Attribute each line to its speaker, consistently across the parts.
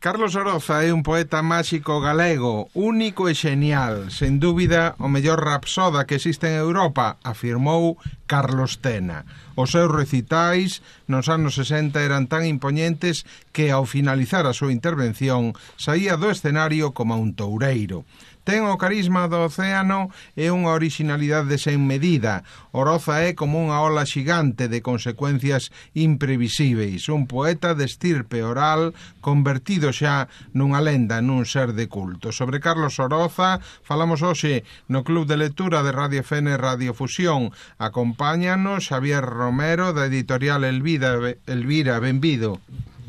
Speaker 1: Carlos Oroza é un poeta máxico galego, único e xenial, sen dúbida o mellor rapsoda que existe en Europa, afirmou Carlos Tena. Os seus recitais nos anos 60 eran tan impoñentes que ao finalizar a súa intervención saía do escenario como un toureiro. Ten o carisma do océano e unha orixinalidade sen medida. Oroza é como unha ola xigante de consecuencias imprevisíveis, un poeta de estirpe oral convertido xa nunha lenda, nun ser de culto. Sobre Carlos Oroza falamos hoxe no Club de Lectura de Radio FN Radio Fusión. Acompáñanos Xavier Romero da editorial Elvira, benvido.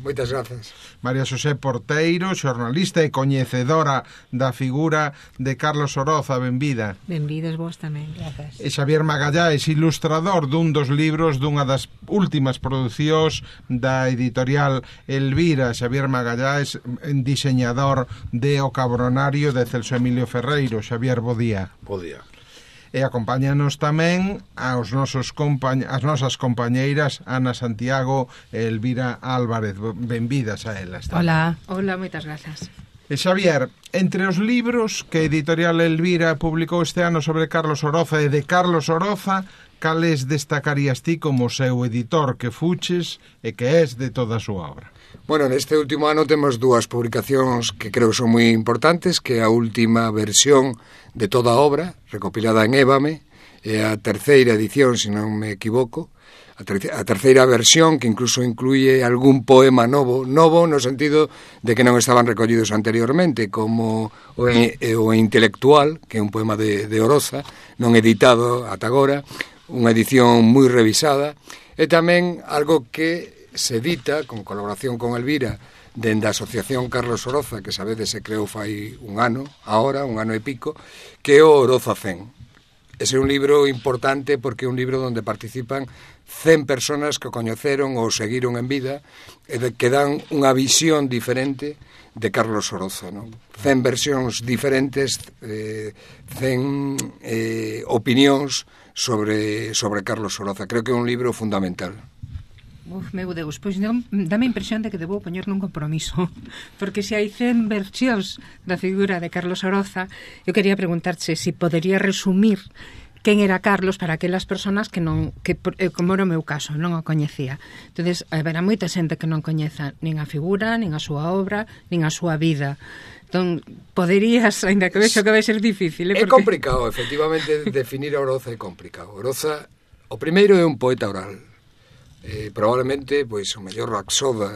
Speaker 2: Moitas grazas.
Speaker 1: María Xosé Porteiro, xornalista e coñecedora da figura de Carlos Oroza, benvida.
Speaker 3: Benvidos vos tamén, grazas.
Speaker 1: E Xavier Magallás, ilustrador dun dos libros dunha das últimas producións da editorial Elvira. Xavier Magallás, diseñador de O Cabronario de Celso Emilio Ferreiro. Xavier, bo día.
Speaker 2: Bo día.
Speaker 1: E acompáñanos tamén as nosas compañeiras Ana Santiago e Elvira Álvarez. Benvidas a elas.
Speaker 3: Hola, moitas grazas.
Speaker 1: E Xavier, entre os libros que a editorial Elvira publicou este ano sobre Carlos Oroza e de Carlos Oroza, cales destacarías ti como seu editor que fuches e que és de toda a súa obra?
Speaker 2: Bueno, neste último ano temos dúas publicacións que creo que son moi importantes, que é a última versión de toda a obra, recopilada en Ébame, e a terceira edición, se non me equivoco, a terceira versión que incluso incluye algún poema novo no sentido de que non estaban recollidos anteriormente, como o Intelectual, que é un poema de Oroza, non editado ata agora, unha edición moi revisada, e tamén algo que se edita con colaboración con Elvira dende a Asociación Carlos Oroza, que sabedes se creou fai un ano e pico, que é o Oroza 100. Ese é un libro importante porque é un libro onde participan 100 personas que o coñeceron ou seguiron en vida e que dan unha visión diferente de Carlos Oroza, non? 100 versións diferentes, 100 opinións sobre Carlos Oroza. Creo que é un libro fundamental.
Speaker 3: Meu Deus, pois non, dame a impresión de que debo poñer nun compromiso, porque se hai 100 versións da figura de Carlos Oroza, eu quería preguntarche se podería resumir quen era Carlos para aquelas persoas que non, que como era o meu caso, non o coñecía. Entonces, haberá moita xente que non coñeza nin a figura, nin a súa obra, nin a súa vida. Entón, poderías, ainda que vexo que vai ser difícil,
Speaker 2: porque... É complicado, efectivamente, definir a Oroza é complicado. Oroza, o primeiro é un poeta oral. Probablemente pois o mellor rapsoda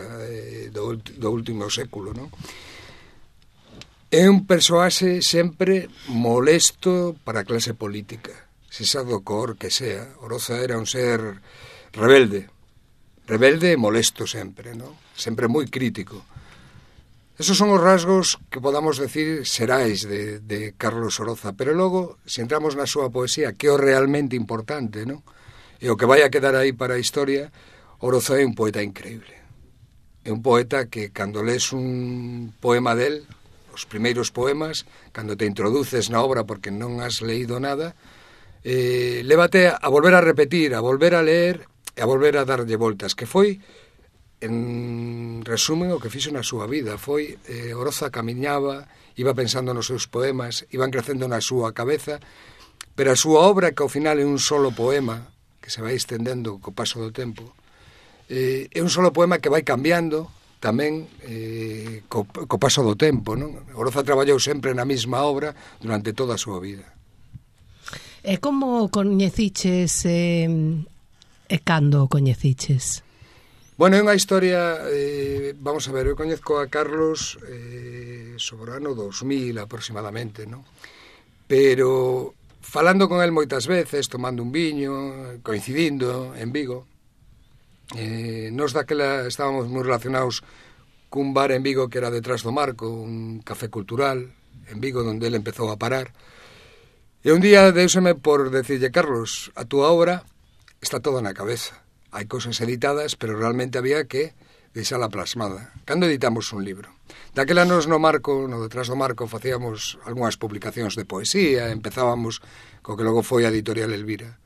Speaker 2: do último século, non? É un persoaxe sempre molesto para a clase política, se xa do cor que sea. Oroza era un ser rebelde e molesto sempre, non? Sempre moi crítico. Esos son os rasgos que podamos decir xerais de Carlos Oroza, pero logo, se entramos na súa poesía, que é o realmente importante, non? E o que vai a quedar aí para a historia, Oroza é un poeta increíble. É un poeta que, cando lees un poema del, os primeiros poemas, cando te introduces na obra porque non has leído nada, lévate a volver a repetir, a volver a leer e a volver a darlle voltas, que foi, en resumen, o que fixo na súa vida. Foi, Oroza camiñaba, iba pensando nos seus poemas, iban crecendo na súa cabeza, pero a súa obra, que ao final é un solo poema, que se vai estendendo co paso do tempo, é un solo poema que vai cambiando tamén co paso do tempo, non? Oroza traballou sempre na mesma obra durante toda a súa vida.
Speaker 4: E como coñeciches e cando o coñeciches?
Speaker 2: Bueno, é unha historia, vamos a ver, eu coñezco a Carlos sobre o ano 2000 aproximadamente, non? Pero falando con el moitas veces, tomando un viño, coincidindo en Vigo, nos daquela estábamos moi relacionados cun bar en Vigo que era detrás do Marco, un café cultural en Vigo, onde ele empezou a parar. E un día deuseme por decirlle: Carlos, a túa obra está toda na cabeza. Hai cousas editadas, pero realmente había que deixala plasmada. Cando editamos un libro? Daquela nos no Marco, no detrás do Marco, facíamos algunhas publicacións de poesía, empezábamos co que logo foi a editorial Elvira.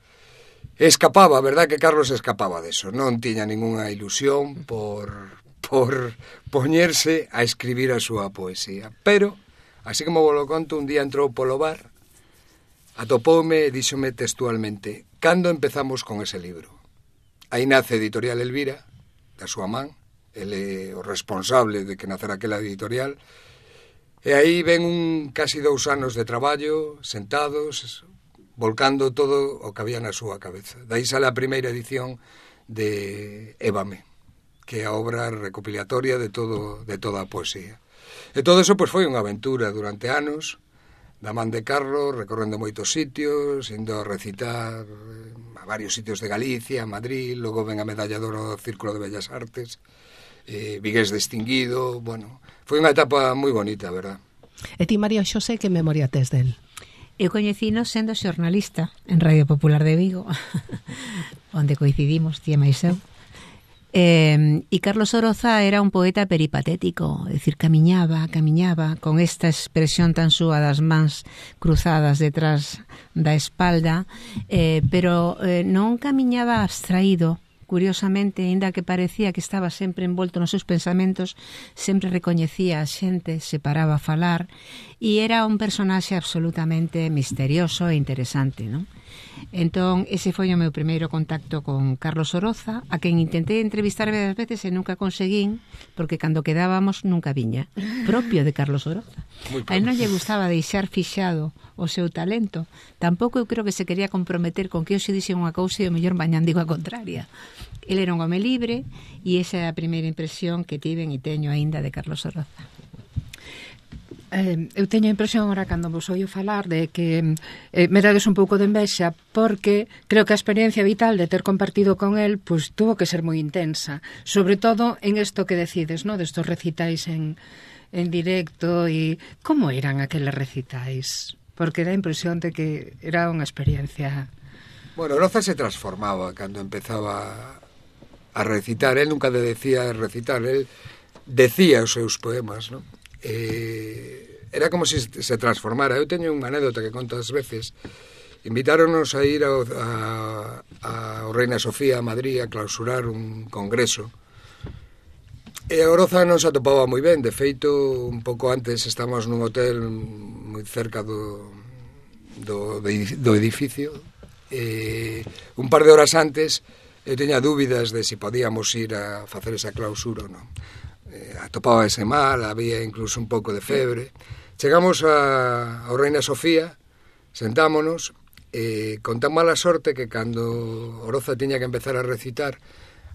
Speaker 2: Escapaba, verdad que Carlos escapaba deso, non tiña ningunha ilusión por por poñerse a escribir a súa poesía. Pero, así como vos lo conto, un día entrou polo bar, atopoume e díxome textualmente: cando empezamos con ese libro? Aí nace Editorial Elvira, da súa man, ele é o responsable de que nacera aquela editorial, e aí ven casi 2 anos de traballo, sentados, volcando todo o que había na súa cabeza. Daí sale a primeira edición de Évame, que é a obra recopilatoria de toda a poesía. E todo eso foi unha aventura durante anos, da man de Carlos, recorrendo moitos sitios, indo a recitar a varios sitios de Galicia, Madrid, logo ven a medalla de oro do Círculo de Bellas Artes, Vigués distinguido, bueno, foi unha etapa moi bonita, verdad?
Speaker 4: E ti, María Xosé, que memoria tes del?
Speaker 3: Eu coñecino sendo xornalista en Radio Popular de Vigo, onde coincidimos, tía máis eu. E Carlos Oroza era un poeta peripatético, é dicir, camiñaba con esta expresión tan súa das mans cruzadas detrás da espalda, pero non camiñaba abstraído. Curiosamente, aínda que parecía que estaba sempre envolto nos seus pensamentos, sempre recoñecía a xente, se paraba a falar, e era un personaxe absolutamente misterioso e interesante, non? Entón, ese foi o meu primeiro contacto con Carlos Oroza, a quen intentei entrevistar varias veces e nunca conseguín, porque cando quedábamos nunca viña, propio de Carlos Oroza. A él non lle gustaba deixar fixado o seu talento, tampouco eu creo que se quería comprometer con que eu se dixe unha cousa e o mellor mañán digo a contraria. El era un home libre e esa é a primeira impresión que tiven e teño aínda de Carlos Oroza. Eu teño a impresión ahora cando vos oio falar de que me dades un pouco de envexa, porque creo que a experiencia vital de ter compartido con él pues tuvo que ser moi intensa, sobre todo en isto que decides, ¿no? De estos recitais en directo. E como eran aqueles recitais? Porque da impresión de que era unha experiencia.
Speaker 2: Bueno, Oroza se transformaba cando empezaba a recitar. Él nunca decía recitar, él decía os seus poemas, ¿no? Era como se transformara. Eu teño unha anécdota que conto ás veces. Invitáronos a ir a Reina Sofía a Madrid a clausurar un congreso, e a Oroza non se atopaba moi ben. De feito, un pouco antes estábamos nun hotel moi cerca do edificio, e un par de horas antes eu teña dúbidas de se podíamos ir a facer esa clausura ou non. Atopábase mal, había incluso un pouco de febre. Chegamos ao Reina Sofía, sentámonos, con tan mala sorte que cando Oroza tiña que empezar a recitar,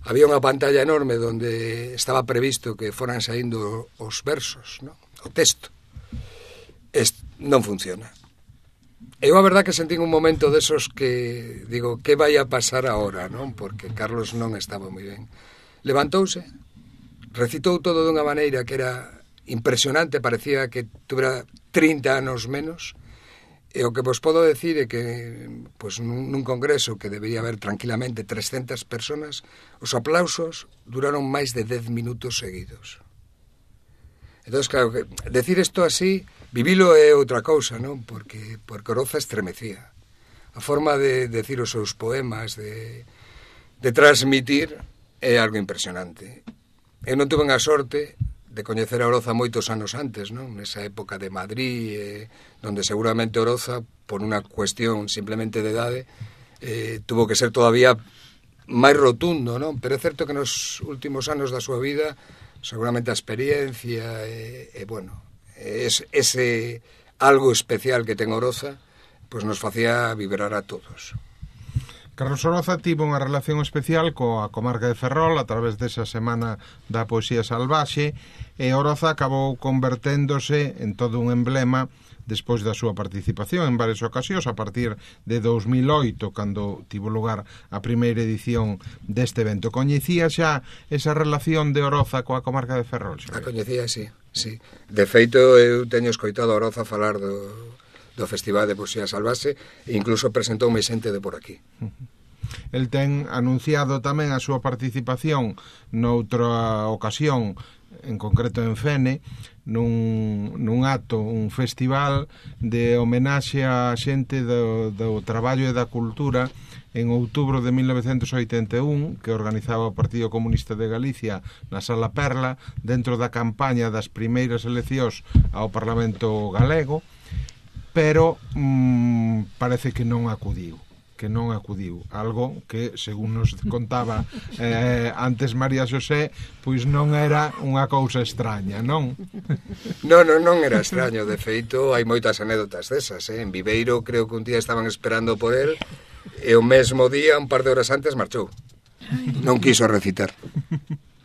Speaker 2: había unha pantalla enorme donde estaba previsto que foran saindo os versos, ¿no? O texto. Non funciona. Eu a verdad que sentín un momento desos que digo, que vai a pasar agora, non? Porque Carlos non estaba moi ben. Levantouse, recitou todo dunha maneira que era impresionante, parecía que tuvera 30 anos menos, e o que vos podo decir é que pues, nun congreso que debería haber tranquilamente 300 personas, os aplausos duraron máis de 10 minutos seguidos. Entón, claro, decir isto así, vivilo é outra cousa, non? Porque Oroza estremecía. A forma de decir os seus poemas, de transmitir, é algo impresionante. Eu non tuve a sorte de coñecer a Oroza moitos anos antes, non? Nesa época de Madrid, donde seguramente Oroza, por unha cuestión simplemente de idade, tuvo que ser todavía máis rotundo, non? Pero é certo que nos últimos anos da súa vida, seguramente a experiencia, bueno, ese algo especial que ten Oroza, pois nos facía vibrar a todos.
Speaker 1: Carlos Oroza tivo unha relación especial coa comarca de Ferrol a través desa semana da poesía salvaxe, e Oroza acabou converténdose en todo un emblema despois da súa participación en varias ocasións a partir de 2008, cando tivo lugar a primeira edición deste evento. Coñecía xa esa relación de Oroza coa comarca de Ferrol?
Speaker 2: A coñecía, sí. De feito, eu teño escoitado a Oroza falar do Festival de Poesía Salvaxe e incluso presentoume xente de por aquí.
Speaker 1: El ten anunciado tamén a súa participación noutra ocasión, en concreto en Fene, nun acto, un festival de homenaxe a xente do traballo e da cultura en outubro de 1981, que organizaba o Partido Comunista de Galicia na Sala Perla, dentro da campaña das primeiras eleccións ao Parlamento galego, pero parece que non acudiu, algo que, según nos contaba antes María Xosé, pois non era unha cousa extraña, non?
Speaker 2: Non era extraño, de feito hai moitas anécdotas desas, En Viveiro creo que un día estaban esperando por él e o mesmo día, un par de horas antes, marchou. Non quiso recitar.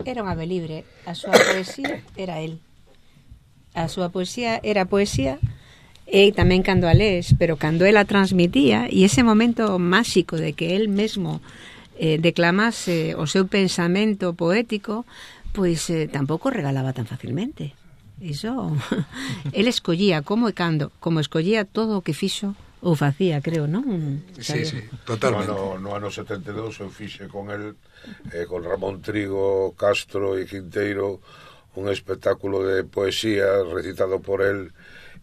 Speaker 3: Era un ave libre, a súa poesía era él. A súa poesía era poesía. E tamén cando a lees, pero cando ela transmitía, e ese momento máxico de que él mesmo declamase o seu pensamento poético, pois tampouco regalaba tan facilmente. Iso, él escollía como e cando, como escollía todo o que fixo ou facía, creo, non?
Speaker 2: Sí, totalmente.
Speaker 5: No ano 72 eu fixe con el, con Ramón Trigo, Castro e Quinteiro, un espectáculo de poesía recitado por él,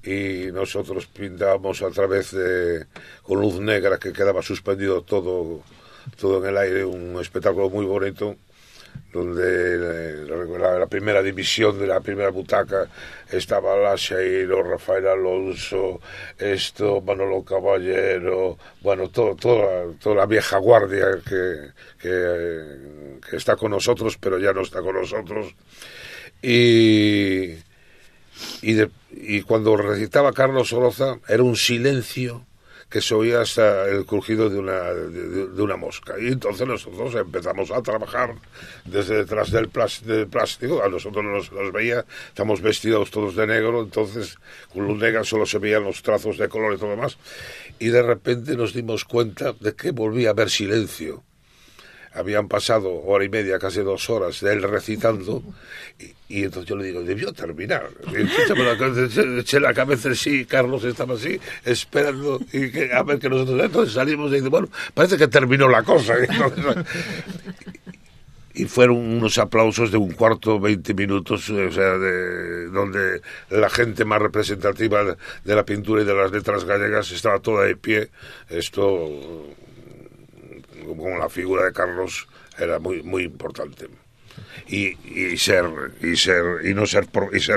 Speaker 5: y nosotros pintábamos a través de con luz negra que quedaba suspendido todo en el aire, un espectáculo muy bonito donde la primera división de la primera butaca estaba Laseiro, Rafael Alonso, Manolo Caballero, bueno, toda la vieja guardia que está con nosotros, pero ya no está con nosotros. Y cuando recitaba Carlos Oroza era un silencio que se oía hasta el crujido de una mosca. Y entonces nosotros empezamos a trabajar desde detrás del plástico. A nosotros nos veía, estamos vestidos todos de negro, entonces con luz negra solo se veían los trazos de color y todo demás. Y de repente nos dimos cuenta de que volvía a haber silencio. Habían pasado hora y media, casi 2 horas de él recitando, y entonces yo le digo, debió terminar. Y eché la cabeza así, Carlos estaba así, esperando, y a ver que nosotros... Entonces salimos y dice, bueno, parece que terminó la cosa. Y fueron unos aplausos de 1/4, 20 minutos, o sea, donde la gente más representativa de la pintura y de las letras gallegas estaba toda de pie. Esto... con la figura de Carlos era muy muy importante, y ser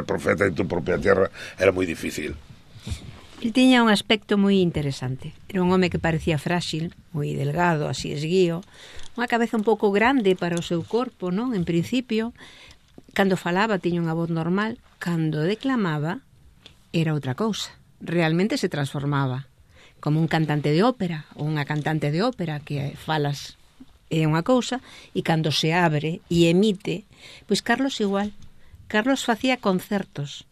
Speaker 5: profeta en tu propia tierra era muy difícil.
Speaker 3: Él tiña un aspecto moi interesante. Era un home que parecía frágil, moi delgado, así esguío, unha cabeza un pouco grande para o seu corpo, non? En principio, cando falaba tiña unha voz normal, cando declamaba era outra cousa. Realmente se transformaba como un cantante de ópera ou unha cantante de ópera que falas é unha cousa, e cando se abre e emite, pois Carlos igual. Carlos facía concertos,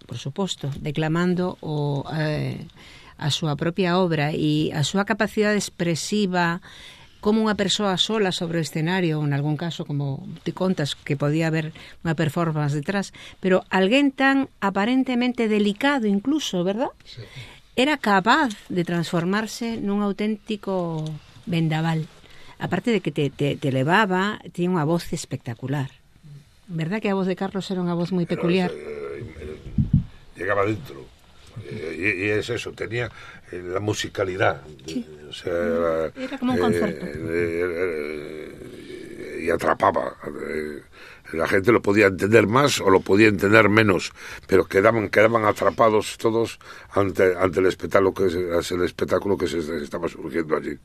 Speaker 3: por suposto, declamando a súa propia obra, e a súa capacidade expresiva como unha persoa sola sobre o escenario, ou en algún caso, como te contas, que podía haber unha performance detrás, pero alguén tan aparentemente delicado incluso, verdad?
Speaker 2: Sí.
Speaker 3: Era capaz de transformarse nun auténtico vendaval. Aparte de que te elevaba, tiña unha voz espectacular. ¿Verdad que a voz de Carlos era unha voz moi peculiar?
Speaker 5: Llegaba dentro. Y es eso, tenía la musicalidad.
Speaker 3: Sí.
Speaker 5: O sea,
Speaker 3: era como un concerto.
Speaker 5: Y atrapaba. La gente lo podía entender más o lo podía entender menos, pero quedaban atrapados todos ante el espectáculo que se estaba surgiendo allí.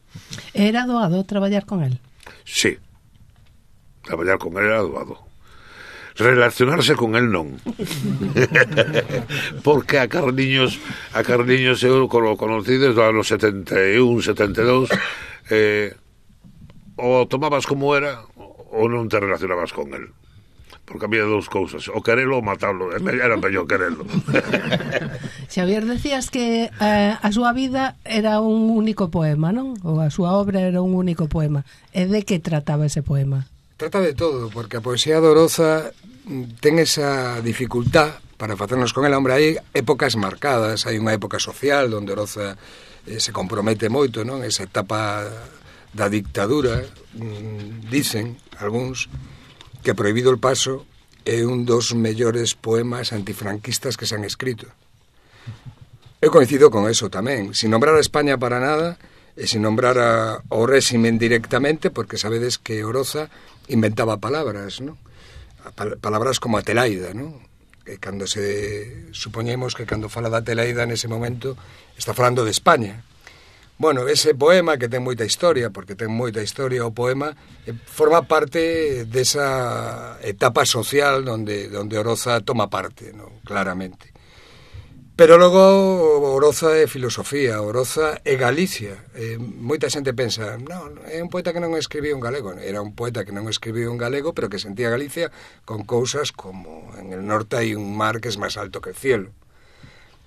Speaker 4: Era doado traballar con él?
Speaker 5: Sí, traballar con él era doado. Relacionarse con él non. Porque a Carliños eu conocí desde os anos 71, 72, o tomabas como era ou non te relacionabas con él. Porque había 2 cousas, o querelo ou matarlo. Era mellor querelo.
Speaker 4: Xavier, decías que a súa vida era un único poema, non? Ou a súa obra era un único poema. E de que trataba ese poema?
Speaker 2: Trata de todo, porque a poesía de Oroza ten esa dificultad para facernos con ela. Hombre, hai épocas marcadas, hai unha época social onde Oroza se compromete moito, non? Esa etapa da dictadura, dicen algúns que Prohibido el paso é un dos mellores poemas antifranquistas que se han escrito. Eu coincido con eso tamén. Sin nombrar a España para nada, e sin nombrar ao réximen directamente, porque sabedes que Oroza inventaba palabras, ¿no? Palabras como Atelaida, ¿no? Que cando supoñemos que cando fala da Atelaida nese momento está falando de España. Bueno, ese poema que ten moita historia, porque ten moita historia o poema, forma parte desa etapa social donde Oroza toma parte, ¿no? Claramente. Pero logo Oroza é filosofía, Oroza é Galicia. Moita xente pensa, non, é un poeta que non escribiu en galego. Era un poeta que non escribiu en galego, pero que sentía Galicia con cousas como en el norte hai un mar que es máis alto que el cielo.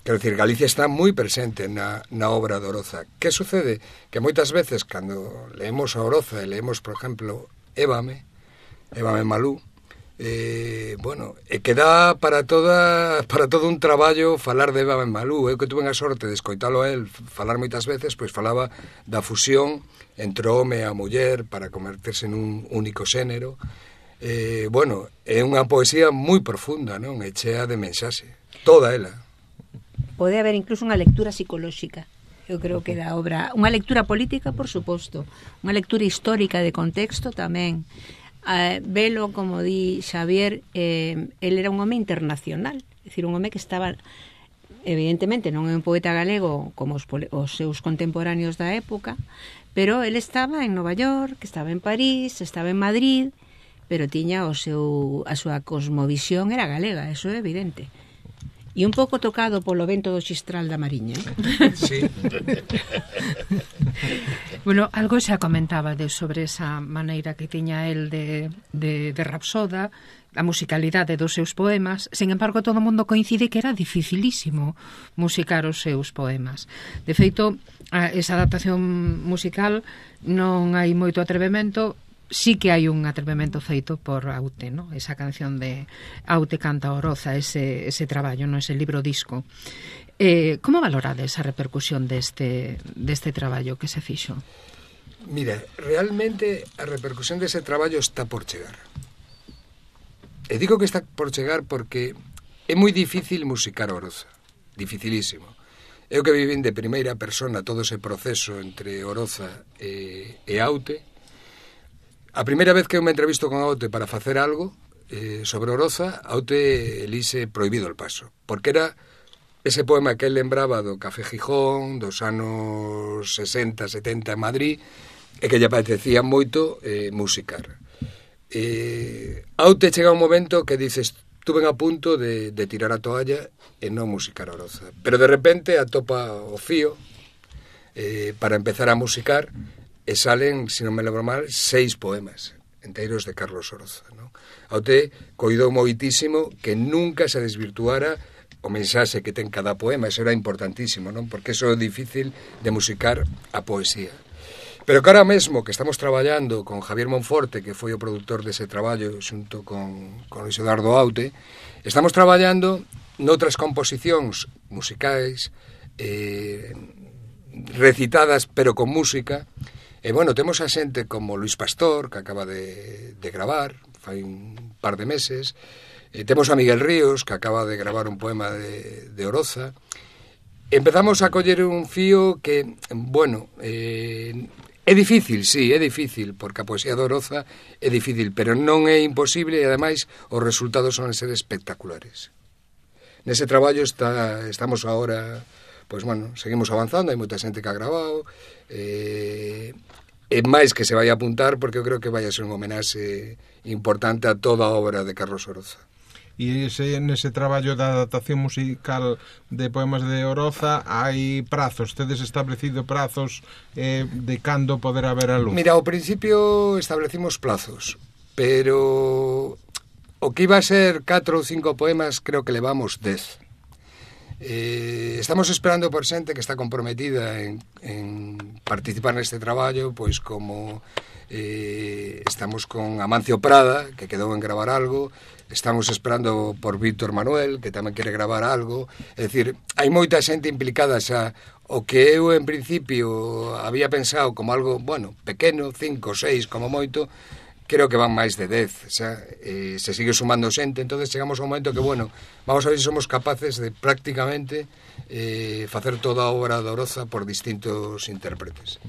Speaker 2: Quero dicir, Galicia está moi presente na obra de Oroza. Que sucede? Que moitas veces, cando leemos a Oroza e leemos, por exemplo, Évame Malú, bueno, que dá para todo un traballo falar de Évame Malú. Eu que tuve a sorte de escoitalo a él falar moitas veces, pois falaba da fusión entre o home e a muller para converterse en un único xénero. Bueno, é unha poesía moi profunda, non? E chea de mensaxe, toda ela.
Speaker 6: Pode haber incluso unha lectura psicolóxica. Eu creo que da obra, unha lectura política, por suposto, unha lectura histórica de contexto tamén. Velo, como di Xavier, el era un home internacional, é dicir, un home que estaba, evidentemente, non é un poeta galego como os seus contemporáneos da época, pero el estaba en Nova York, estaba en París, estaba en Madrid, pero tiña a súa cosmovisión era galega, eso é evidente. E un pouco tocado polo vento do xistral da Mariña.
Speaker 2: Sí.
Speaker 3: Bueno, algo xa comentaba sobre esa maneira que tiña el de rapsoda, a musicalidade dos seus poemas. Sin embargo, todo o mundo coincide que era dificilísimo musicar os seus poemas. De feito, esa adaptación musical non hai moito atrevemento. Sí que hai un atrevemento feito por Aute, ¿no? Esa canción de Aute canta Oroza, ese traballo, no, ese libro disco. Como valorade esa repercusión deste traballo que se fixo?
Speaker 2: Mira, realmente a repercusión dese traballo está por chegar. E digo que está por chegar porque é moi difícil musicar Oroza, dificilísimo. Eu que vivín de primeira persona todo ese proceso entre Oroza e Aute. A primeira vez que eu me entrevisto con Aute para facer algo sobre Oroza, Aute elixe Prohibido el paso, porque era ese poema que él lembraba do Café Gijón, dos anos 60, 70 en Madrid, e que lle apetecía moito musicar. Aute chega un momento que dices, tuve a punto de tirar a toalla e non musicar Oroza, pero de repente atopa o fío para empezar a musicar. E salen, se non me lembro mal, 6 poemas enteiros de Carlos Oroza, ¿no? Aute coidou moitísimo que nunca se desvirtuara o mensaxe que ten cada poema. Eso era importantísimo, ¿no? Porque eso é difícil de musicar a poesía. Pero que ahora mesmo que estamos traballando con Javier Monforte, que foi o produtor dese traballo xunto con Luis Eduardo Aute, estamos traballando noutras composicións musicais recitadas pero con música. E, bueno, temos a xente como Luis Pastor, que acaba de gravar, fai un par de meses. Temos a Miguel Ríos, que acaba de gravar un poema de Oroza. Empezamos a coller un fío que, bueno, é difícil, sí, é difícil, porque a poesía de Oroza é difícil, pero non é imposible e, ademais, os resultados son ser espectaculares. Nese traballo estamos agora... Pois, bueno, seguimos avanzando, hai moita xente que ha grabado, e máis que se vai a apuntar, porque eu creo que vai a ser un homenaxe importante a toda a obra de Carlos Oroza.
Speaker 1: E nese traballo da adaptación musical de poemas de Oroza hai prazos, tedes establecido prazos de cando poder haber a luz?
Speaker 2: Mira, ao principio establecimos plazos, pero o que iba a ser 4 ou 5 poemas creo que levamos 10. Estamos esperando por xente que está comprometida en participar neste traballo, pois como estamos con Amancio Prada, que quedou en gravar algo, estamos esperando por Víctor Manuel, que tamén quere gravar algo. É dicir, hai moita xente implicada xa. O que eu en principio había pensado como algo, bueno, pequeno, 5 ou 6 como moito, creo que van máis de 10, xa, se sigue sumando xente, entonces chegamos a un momento que, bueno, vamos a ver se somos capaces de prácticamente facer toda a obra de Oroza por distintos intérpretes.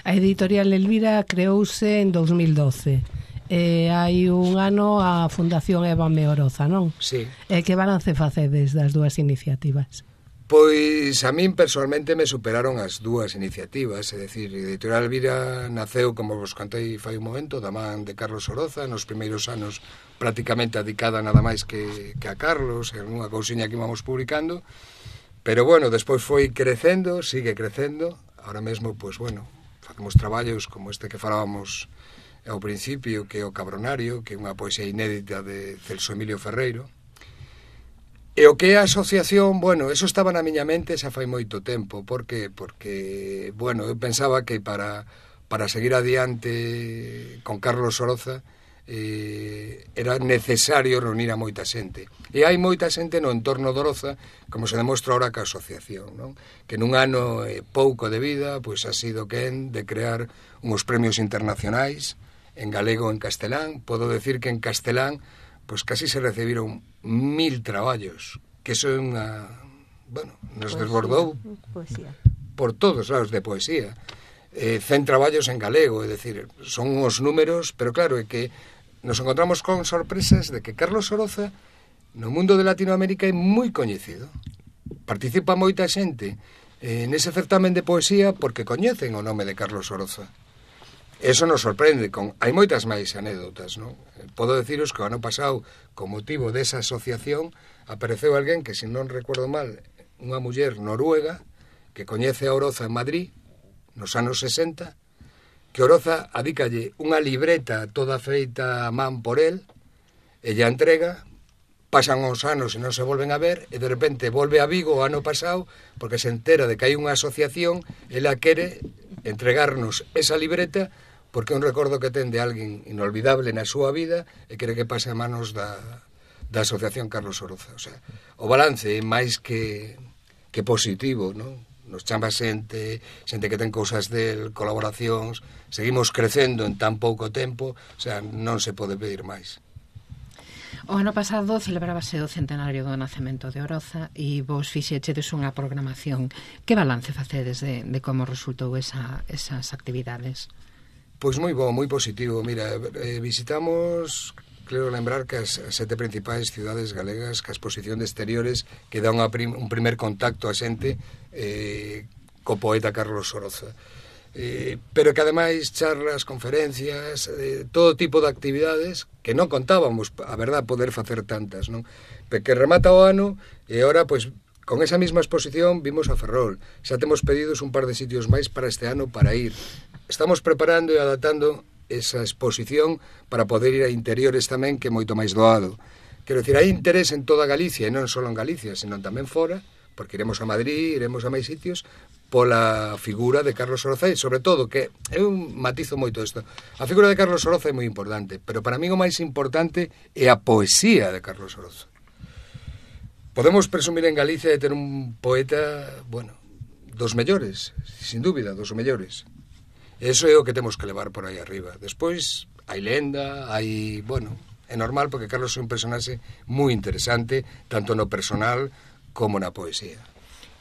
Speaker 4: A editorial Elvira creouse en 2012. Hai un ano a Fundación Évame Oroza, non?
Speaker 2: Sí.
Speaker 4: Que balance facedes das dúas iniciativas?
Speaker 2: Pois a min personalmente me superaron as dúas iniciativas, é dicir, Editorial Elvira naceu, como vos contei fai un momento, da man de Carlos Oroza, nos primeiros anos prácticamente dedicada nada máis que a Carlos, en unha cousiña que íbamos publicando, pero bueno, despois foi crecendo, sigue crecendo, ahora mesmo, pois bueno, facemos traballos como este que falábamos ao principio, que é o Cabronario, que é unha poesía inédita de Celso Emilio Ferreiro. E o que é a asociación, bueno, eso estaba na miña mente xa fai moito tempo. Por que? Porque, bueno, eu pensaba que para seguir adiante con Carlos Oroza era necesario reunir a moita xente. E hai moita xente no entorno de Oroza, como se demostra ahora ca asociación, non? Que nun ano pouco de vida, pois ha sido quen de crear uns premios internacionais en galego e en castelán. Podo decir que en castelán pois casi se recibiron 1000 traballos, que eso é unha, bueno, nos desbordou
Speaker 6: poesía
Speaker 2: por todos lados de poesía. 100 traballos en galego, é dicir, son os números, pero claro, é que nos encontramos con sorpresas de que Carlos Oroza no mundo de Latinoamérica é moi coñecido. Participa moita xente nese certamen de poesía porque coñecen o nome de Carlos Oroza. Eso nos sorprende, hai moitas máis anécdotas, non? Podo deciros que o ano pasado, con motivo desa asociación, apareceu alguén que, se non recuerdo mal, unha muller noruega que coñece a Oroza en Madrid, nos anos 60, que Oroza adícalle unha libreta toda feita a man por él, ella entrega, pasan os anos e non se volven a ver, e de repente volve a Vigo o ano pasado, porque se entera de que hai unha asociación, ela quere entregarnos esa libreta, porque é un recordo que ten de alguén inolvidable na súa vida e quere que pase a manos da Asociación Carlos Oroza. O sea, o balance é máis que positivo, non? Nos chama xente que ten cousas del, colaboracións, seguimos crecendo en tan pouco tempo, o sea, non se pode pedir máis.
Speaker 3: O ano pasado celebrábase o centenario do nacemento de Oroza e vos fixechedes unha programación. Que balance facedes de como resultou esas actividades?
Speaker 2: Pois moi bo, moi positivo. Mira, visitamos, creo lembrar que as 7 principais cidades galegas, que a exposición de exteriores que dá un primer contacto a xente co poeta Carlos Oroza. Pero que ademais charlas, conferencias, todo tipo de actividades que non contábamos, a verdad, poder facer tantas, non? Que remata o ano e ahora, pois, con esa mesma exposición vimos a Ferrol. Xa temos pedidos un par de sitios máis para este ano para ir. Estamos preparando e adaptando esa exposición para poder ir a interiores tamén, que é moito máis doado. Quero dicir, hai interés en toda Galicia, e non só en Galicia, senón tamén fora, porque iremos a Madrid, iremos a máis sitios, pola figura de Carlos Oroza, e sobre todo, que eu matizo moito isto, a figura de Carlos Oroza é moi importante, pero para mí o máis importante é a poesía de Carlos Oroza. Podemos presumir en Galicia de ter un poeta, bueno, dos mellores, sin dúbida, dos mellores. Eso é o que temos que levar por aí arriba. Despois, hai lenda, hai, bueno, é normal porque Carlos é un personaxe moi interesante, tanto no personal como na poesía.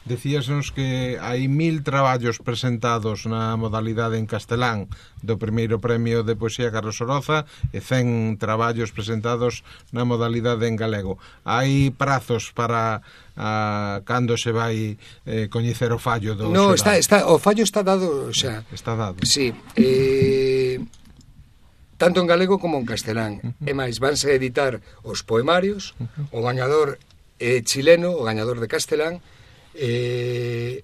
Speaker 1: Decíasnos que hai 1000 traballos presentados na modalidade en castelán do primeiro premio de poesía Carlos Oroza e 100 traballos presentados na modalidade en galego. Hai prazos para cando se vai coñecer o fallo do
Speaker 2: No, o fallo está dado xa.
Speaker 1: Está dado.
Speaker 2: Sí, tanto en galego como en castelán. E máis, vanse editar os poemarios, o gañador chileno, o gañador de castelán, en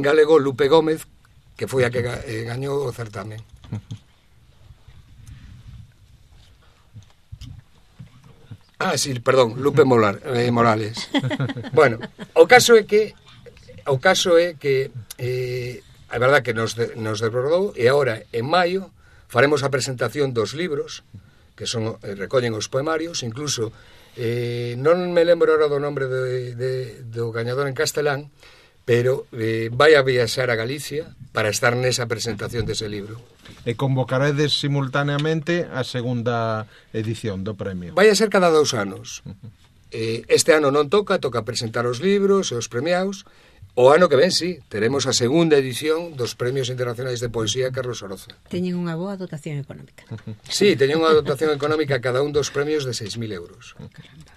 Speaker 2: galego Lupe Gómez, que foi a que gañou o certamen. Sí, perdón, Lupe Morales. Bueno, o caso é que a verdad que nos desbordou, e agora en maio faremos a presentación dos libros que son recollen os poemarios, incluso non me lembro ahora do nombre do gañador en castelán, pero vai a viaxar a Galicia para estar nesa presentación dese libro.
Speaker 1: E convocaredes simultaneamente a segunda edición do premio.
Speaker 2: Vai a ser cada 2 anos. Este ano non toca presentar os libros e os premiados. O ano que ven, sí, teremos a segunda edición dos Premios Internacionais de Poesía Carlos Oroza.
Speaker 6: Teñen unha boa dotación económica.
Speaker 2: Sí, teñen unha dotación económica cada un dos premios de 6.000 euros.
Speaker 6: Caramba.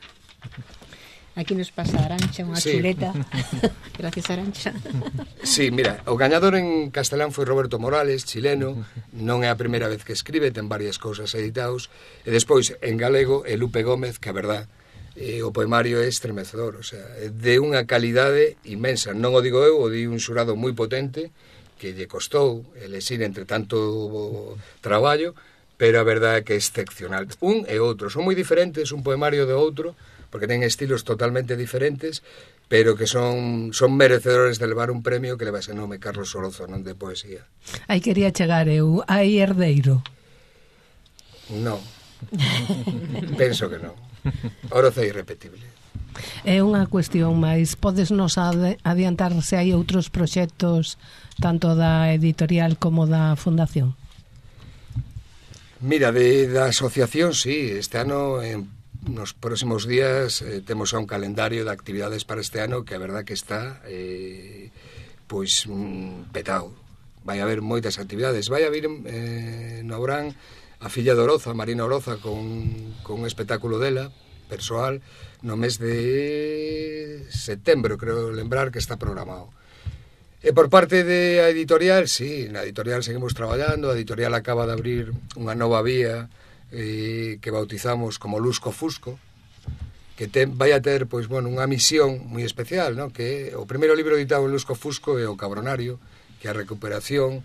Speaker 6: Aquí nos pasa Arancha, unha chuleta. Gracias, Arancha.
Speaker 2: Sí, mira, o gañador en castelán foi Roberto Morales, chileno. Non é a primeira vez que escribe, ten varias cousas editados. E despois, en galego, Lupe Gómez, que a verdad, o poemario é estremecedor, o sea, é de unha calidade inmensa. Non o digo eu, o di un xurado moi potente, que lle costou elexir entre tanto traballo, pero a verdade é que é excepcional. Un e outro, son moi diferentes un poemario de outro, porque ten estilos totalmente diferentes, pero que son merecedores de levar un premio que leva ese nome, Carlos Oroza, non de poesía.
Speaker 4: Aí quería chegar eu, hai herdeiro?
Speaker 2: Non. Penso que non. Oroza é irrepetible.
Speaker 4: É unha cuestión máis, podes nos adiantar se hai outros proxectos tanto da editorial como da fundación?
Speaker 2: Mira, da asociación, sí, este ano nos próximos días temos un calendario de actividades para este ano que a verdad que está pois petado. Vai haber moitas actividades. Vai haber no Obrán a filla de Oroza, Marina Oroza, con un espectáculo dela persoal no mes de setembro, creo lembrar que está programado. E por parte da editorial, sí, na editorial seguimos traballando. A editorial acaba de abrir unha nova vía que bautizamos como Lusco Fusco, que vai a ter pois, bueno, unha misión moi especial, ¿no? Que o primeiro libro editado en Lusco Fusco é O Cabronario, que é a recuperación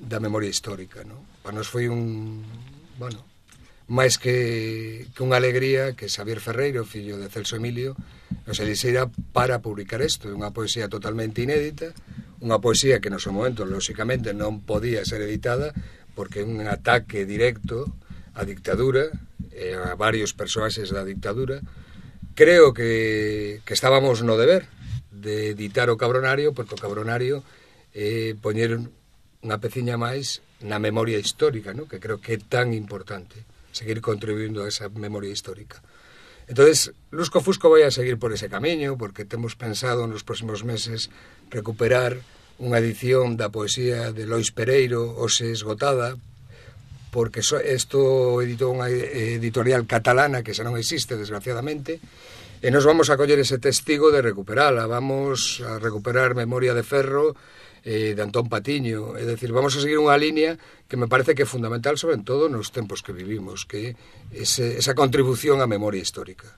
Speaker 2: da memoria histórica, ¿no? Para nos foi bueno, máis que unha alegría que Xavier Ferreiro, fillo de Celso Emilio, nos elixera para publicar isto. É unha poesía totalmente inédita, unha poesía que no seu momento, lóxicamente, non podía ser editada porque é un ataque directo a dictadura, a varios persoaxes da dictadura. Creo que estábamos no deber de editar o Cabronario, porque o Cabronario poñer unha peciña máis na memoria histórica, ¿no? Que creo que é tan importante seguir contribuindo a esa memoria histórica. Entonces, Lusco Fusco vai a seguir por ese camiño, porque temos pensado nos próximos meses recuperar unha edición da poesía de Lois Pereiro, hoxe esgotada, porque isto editou unha editorial catalana que xa non existe, desgraciadamente, e nos vamos a coller ese testigo de recuperala. Vamos a recuperar Memoria de Ferro de Antón Patiño, é dicir, vamos a seguir unha línea que me parece que é fundamental, sobre todo nos tempos que vivimos, que é esa contribución á memoria histórica.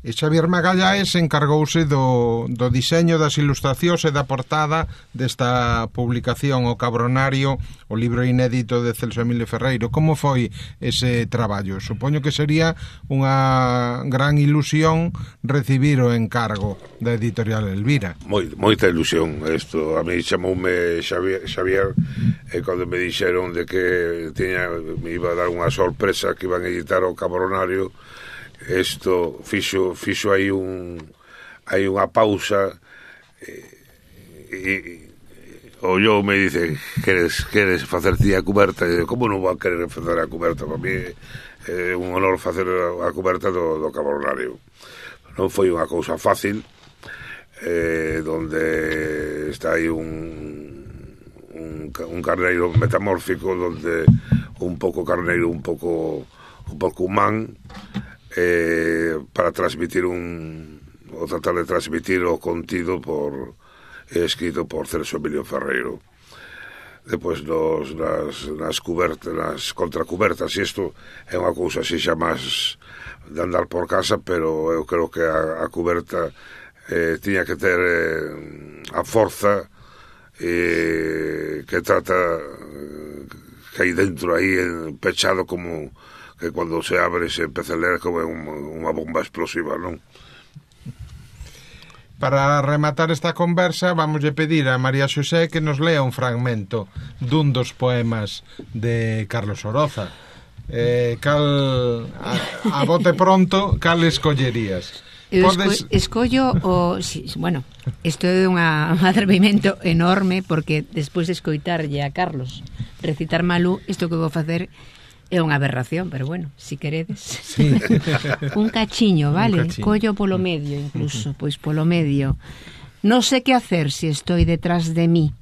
Speaker 1: E Xavier Magallaes encargouse do diseño das ilustracións e da portada desta publicación O Cabronario, o libro inédito de Celso Emilio Ferreiro. Como foi ese traballo? Supoño que sería unha gran ilusión recibir o encargo da editorial Elvira.
Speaker 5: Moita ilusión. Isto a mí chamoume Xavier e cando me dixeron de que me iba a dar unha sorpresa que iban a editar O Cabronario, isto fixo aí unha pausa e ollou me dice queres facer ti a cuberta? E como non vou a querer facer a cuberta? Para mí é un honor facer a cuberta do Cabronario. Non foi unha cousa fácil, donde está aí un carneiro metamórfico, donde un pouco carneiro, un pouco humán, para transmitir o tratar de transmitir o contido escrito por Celso Emilio Ferreiro. Depois nas cubertas, nas contracubertas, e isto é unha cousa así xa máis de andar por casa, pero eu creo que a cuberta tiña que ter a forza que trata que hai dentro, aí pechado, como que cando se abre se empeza a ler como unha bomba explosiva, non?
Speaker 1: Para rematar esta conversa, vamos a pedir a María Xosé que nos lea un fragmento dun dos poemas de Carlos Oroza. A bote pronto, cal escollerías?
Speaker 6: escollo o bueno, isto é un atrevimento enorme, porque despois de escoitarlle a Carlos recitar Malú, isto que vou facer é unha aberración, pero bueno, si queredes.
Speaker 1: Sí.
Speaker 6: Un cachiño, vale?
Speaker 1: Un cachiño.
Speaker 6: Collo polo medio, incluso, pois polo medio. No sé qué hacer si estoy detrás de mí.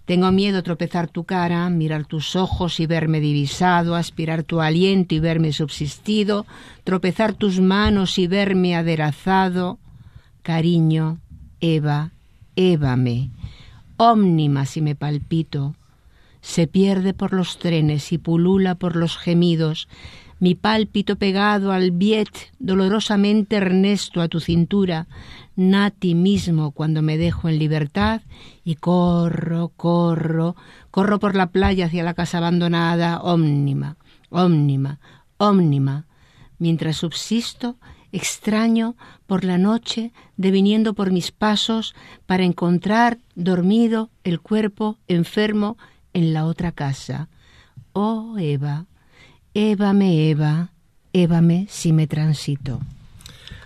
Speaker 6: Tengo miedo a tropezar tu cara, mirar tus ojos y verme divisado, aspirar tu aliento y verme subsistido, tropezar tus manos y verme aderezado. Cariño, Eva, évame. Ómnima si me palpito. Se pierde por los trenes y pulula por los gemidos. Mi pálpito pegado al biet, dolorosamente ernesto a tu cintura, nati mismo cuando me dejo en libertad y corro por la playa hacia la casa abandonada, ómnima, mientras subsisto, extraño por la noche, deviniendo por mis pasos para encontrar dormido el cuerpo enfermo en la otra casa. Oh, Eva, évame si me transito.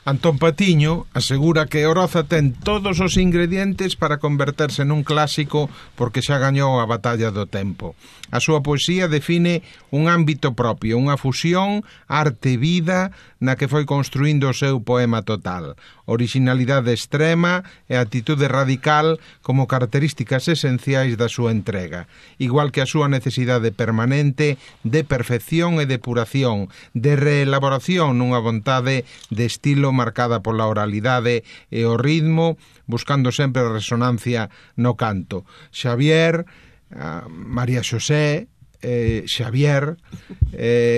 Speaker 1: Antón Patiño asegura que Oroza ten todos os ingredientes para converterse nun clásico porque xa gañou a batalla do tempo. A súa poesía define un ámbito propio, unha fusión arte-vida na que foi construindo o seu poema total. Originalidade extrema e actitude radical como características esenciais da súa entrega, igual que a súa necesidade permanente de perfección e depuración, de reelaboración nunha vontade de estilo marcada pola oralidade e o ritmo, buscando sempre a resonancia no canto. Xavier, María Xosé, Xavier,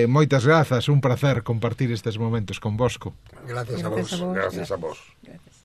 Speaker 1: moitas grazas, un placer compartir estes momentos convosco.
Speaker 2: Gracias a vos.
Speaker 5: Gracias a vos.